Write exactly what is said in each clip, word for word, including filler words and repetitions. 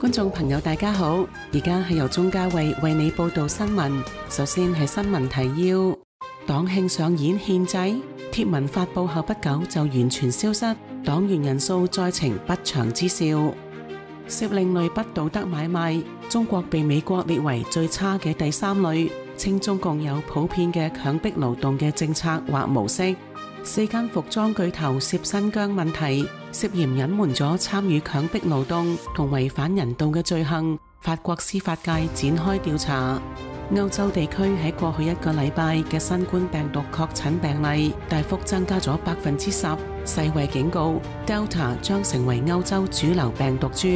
觀眾朋友大家好，而家係由鍾嘉慧為你報道新聞。首先係新聞提要：黨慶上演獻祭，貼文發佈後不久就完全消失，黨員人數再呈不祥之兆。涉另類不道德買賣，中國被美國列為最差嘅第三類，稱中共有普遍嘅強迫勞動嘅政策或模式。四間服裝巨頭涉新疆問題，涉嫌隱瞞咗參與強迫勞動同違反人道嘅罪行，法國司法界展開調查。歐洲地區喺過去一個禮拜嘅新冠病毒確診病例大幅增加咗百分之十，世衛警告 Delta 將成為歐洲主流病毒株。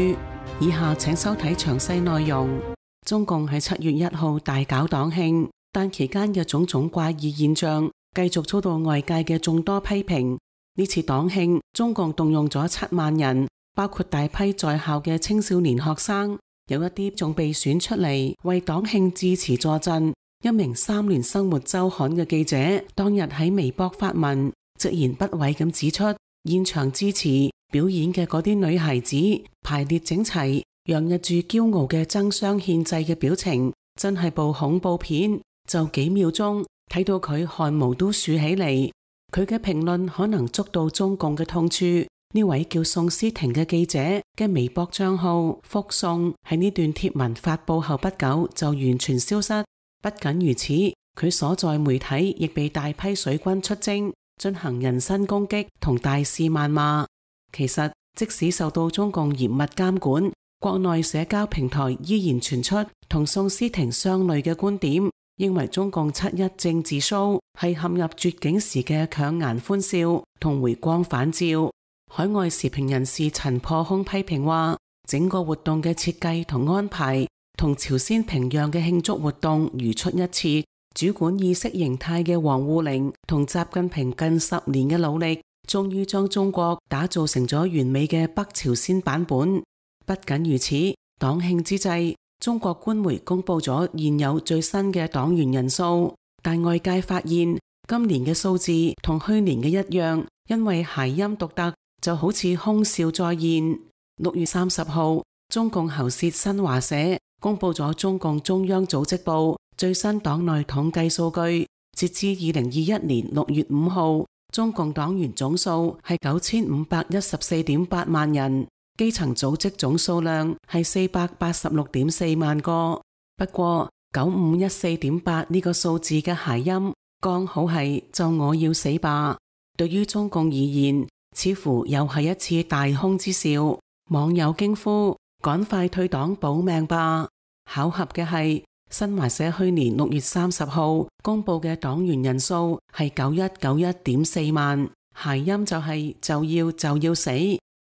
以下請收睇詳細內容。中共喺七月一號大搞黨慶，但期間嘅種種怪異現象繼續遭到外界嘅眾多批評。呢次黨慶，中共動用咗七萬人，包括大批在校嘅青少年學生，有一啲仲被選出嚟為黨慶致詞助陣。一名三聯生活週刊嘅記者當日喺微博發文，直言不諱咁指出，現場致辭表演嘅嗰啲女孩子排列整齊，洋溢住驕傲嘅爭相獻祭嘅表情，真係部恐怖片。就幾秒鐘睇到佢汗毛都豎起嚟。佢嘅評論可能觸到中共嘅痛處。呢位叫宋思婷嘅記者嘅微博賬號福宋喺呢段貼文發佈後不久就完全消失。不僅如此，佢所在媒體亦被大批水軍出征，進行人身攻擊同大肆謾罵。其實即使受到中共嚴密監管，國內社交平台依然傳出同宋思婷相類嘅觀點，認為中共七一政治 show 係陷入絕境時嘅強顏歡笑同回光返照。海外時評人士陳破空批評話，整個活動嘅設計同安排同朝鮮平壤嘅慶祝活動如出一轍。主管意識形態嘅王滬寧同習近平近十年嘅努力，終於將中國打造成咗完美嘅北朝鮮版本。不僅如此，黨慶之際，中國官媒公布咗現有最新嘅黨員人數，但外界發現今年嘅數字同去年嘅一樣，因為諧音獨特，就好似空笑再現。六月三十號，中共喉舌新華社公布咗中共中央組織部最新黨內統計數據，截至二零二一年六月五號，中共黨員總數係九千五百一十四點八萬人。基層組織總數量係四百八十六點四萬個，不過九五一四點八呢個數字嘅諧音剛好係就我要死吧。對於中共而言，似乎又係一次大空之兆。網友驚呼：趕快退黨保命吧！巧合嘅係，新華社去年六月三十號公布嘅黨員人數係九一九一點四萬，諧音就係就要就要死。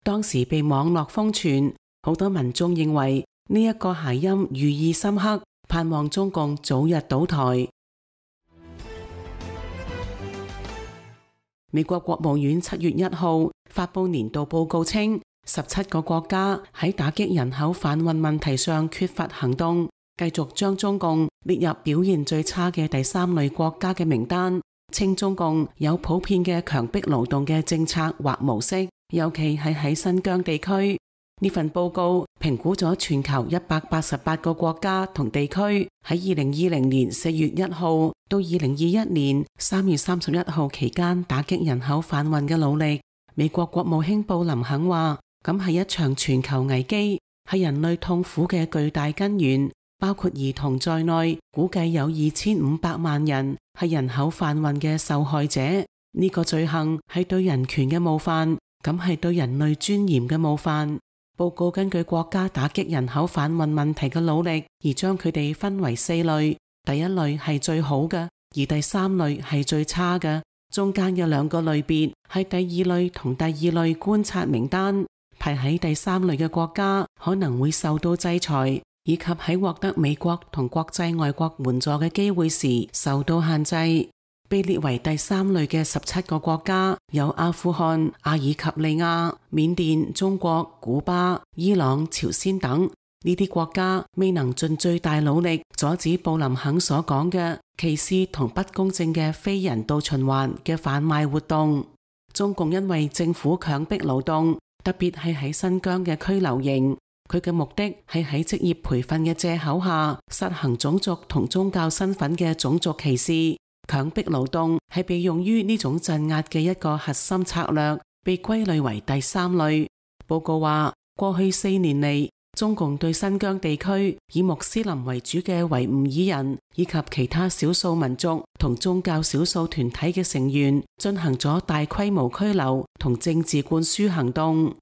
當時被網絡瘋傳，好多民眾認為呢一個諧音寓意深刻，盼望中共早日倒台。美國國務院七月一號發布年度報告稱，十七個國家喺打擊人口販運問題上缺乏行動，繼續將中共列入表現最差嘅第三類國家嘅名單，稱中共有普遍嘅強迫勞動嘅政策或模式。尤其係喺新疆地區，呢份報告評估咗全球一百八十八個國家同地區喺二零二零年四月一號到二零二一年三月三十一號期間打擊人口販運嘅努力。美國國務卿布林肯話，咁係一場全球危機，係人類痛苦嘅巨大根源，包括兒童在內，估計有二千五百萬人係人口販運嘅受害者。呢個罪行係對人權嘅冒犯，咁係對人類尊嚴嘅冒犯。報告根據國家打擊人口販運問題嘅努力，而將佢哋分為四類。第一類係最好嘅，而第三類係最差嘅。中間嘅兩個類別係第二類同第二類觀察名單。排喺第三類嘅國家可能會受到制裁，以及喺獲得美國同國際外國援助嘅機會時受到限制。被列為第三類嘅十七個國家有阿富汗、阿爾及利亞、緬甸、中國、古巴、伊朗、朝鮮等。呢啲國家未能盡最大努力阻止布林肯所講嘅歧視同不公正嘅非人道循環嘅販賣活動。中共因為政府強迫勞動，特別係喺新疆嘅拘留營，佢嘅目的係喺職業培訓嘅藉口下實行種族同宗教身份嘅種族歧視。強迫勞動係被用於呢種鎮壓嘅一個核心策略，被歸類為第三類。報告話，過去四年嚟，中共對新疆地區以穆斯林為主嘅維吾爾人以及其他少數民族同宗教少數團體嘅成員進行咗大規模拘留同政治灌輸行動。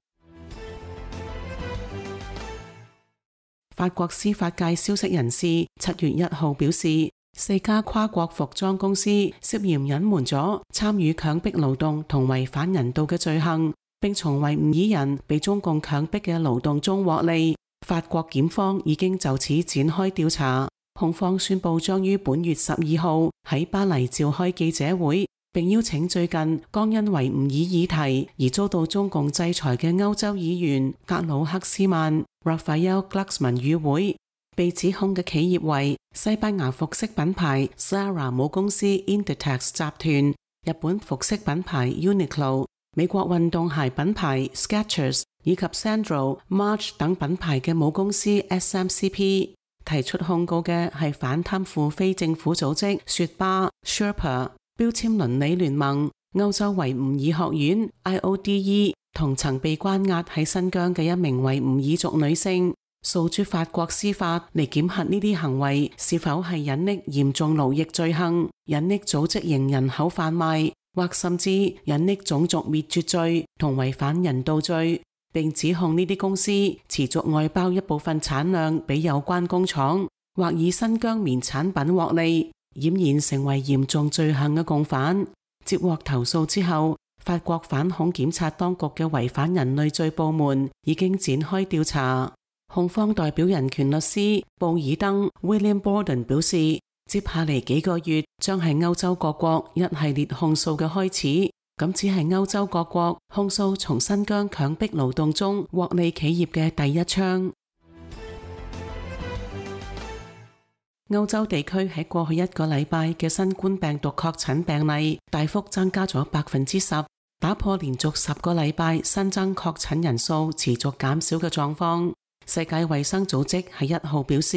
法國司法界消息人士七月一號表示，四家跨國服裝公司涉嫌隱瞞咗參與強迫勞動同違反人道嘅罪行，並從維吾爾人被中共強迫嘅勞動中獲利。法國檢方已經就此展開調查，控方宣布將於本月十二號喺巴黎召開記者會，並邀請最近剛因維吾爾議題而遭到中共制裁嘅歐洲議員格魯克斯曼 Raphael Glucksmann 與會。被指控嘅企業為西班牙服飾品牌 Zara 母公司 Inditex 集團、日本服飾品牌 Uniqlo、美國運動鞋品牌 Skechers 以及 Sandro、March 等品牌嘅母公司 S M C P。 提出控告嘅係反貪腐非政府組織雪巴 Sherpa、標籤倫理聯盟、歐洲維吾爾學院 I O D E 同曾被關押喺新疆嘅一名維吾爾族女性，訴諸法國司法嚟檢核呢啲行為是否係隱匿嚴重勞役罪行、隱匿組織型人口販賣，或甚至隱匿種族滅絕罪同違反人道罪，並指控呢啲公司持續外包一部分產量俾有關工廠，或以新疆棉產品獲利，儼然成為嚴重罪行嘅共犯。接獲投訴之後，法國反恐檢察當局嘅違反人類罪部門已經展開調查。控方代表人權律師布爾登 William Borden 表示，接下嚟幾個月將係歐洲各國一系列控訴嘅開始，咁只係歐洲各國控訴從新疆強迫勞動中獲利企業嘅第一槍。歐洲地區喺過去一個禮拜嘅新冠病毒確診病例大幅增加咗百分之十，打破連續十個禮拜新增確診人數持續減少嘅狀況。世界衛生組織喺一號表示，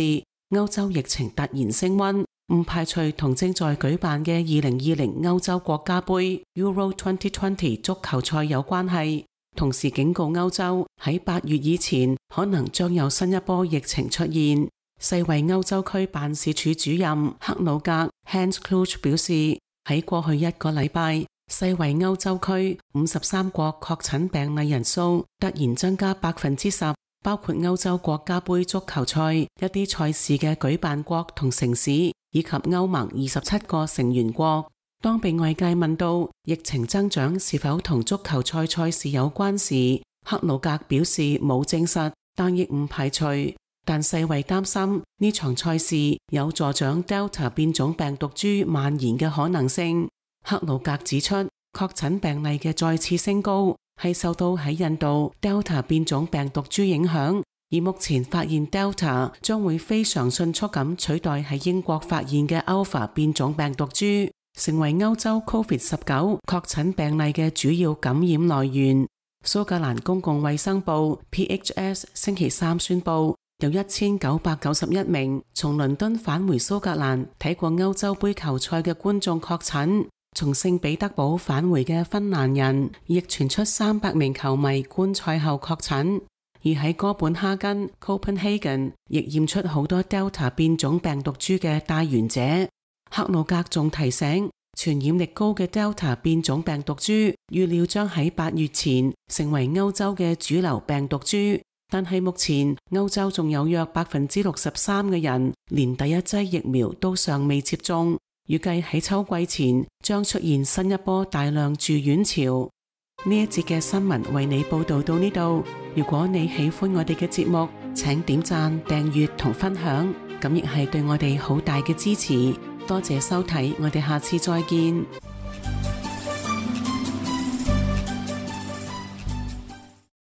歐洲疫情突然升溫，唔排除同正在舉辦嘅二零二零歐洲國家盃 Euro 二零二零足球賽有關係，同時警告歐洲喺八月以前可能將有新一波疫情出現。世衛歐洲區辦事處主任克魯格 Hans Kluge 表示，喺過去一個禮拜，世衛歐洲區五十三國確診病例人數突然增加百分之十。包括歐洲國家盃足球賽一啲賽事嘅舉辦國同城市，以及歐盟二十七個成員國。當被外界問到疫情增長是否同足球賽賽事有關時，克魯格表示冇證實，但亦唔排除。但世衛擔心呢場賽事有助長 Delta 變種病毒株蔓延嘅可能性。克魯格指出，確診病例嘅再次升高係受到喺印度 Delta 變種病毒株影響，而目前發現 Delta 將會非常迅速咁取代喺英國發現嘅 Alpha 變種病毒株，成為歐洲 Covid 十九 確診病例嘅主要感染來源。蘇格蘭公共衛生部 P H S 星期三宣布，有一千九百九十一名從倫敦返回蘇格蘭睇過歐洲盃球賽嘅觀眾確診。從聖彼得堡返回嘅芬蘭人亦傳出三百名球迷觀賽後確診，而喺哥本哈根 Copenhagen 亦驗出好多 Delta 變種病毒株嘅帶源者。克魯格仲提醒，傳染力高嘅 Delta 變種病毒株預料將喺八月前成為歐洲嘅主流病毒株，但係目前歐洲仲有約百分之六十三嘅人連第一劑疫苗都尚未接種。預計喺秋季前將出現新一波大量住院潮。呢一節嘅新聞為你報道到呢度。如果你喜歡我哋嘅節目，請點讚、訂閱同分享，咁亦係對我哋好大嘅支持。多謝收睇，我哋下次再見。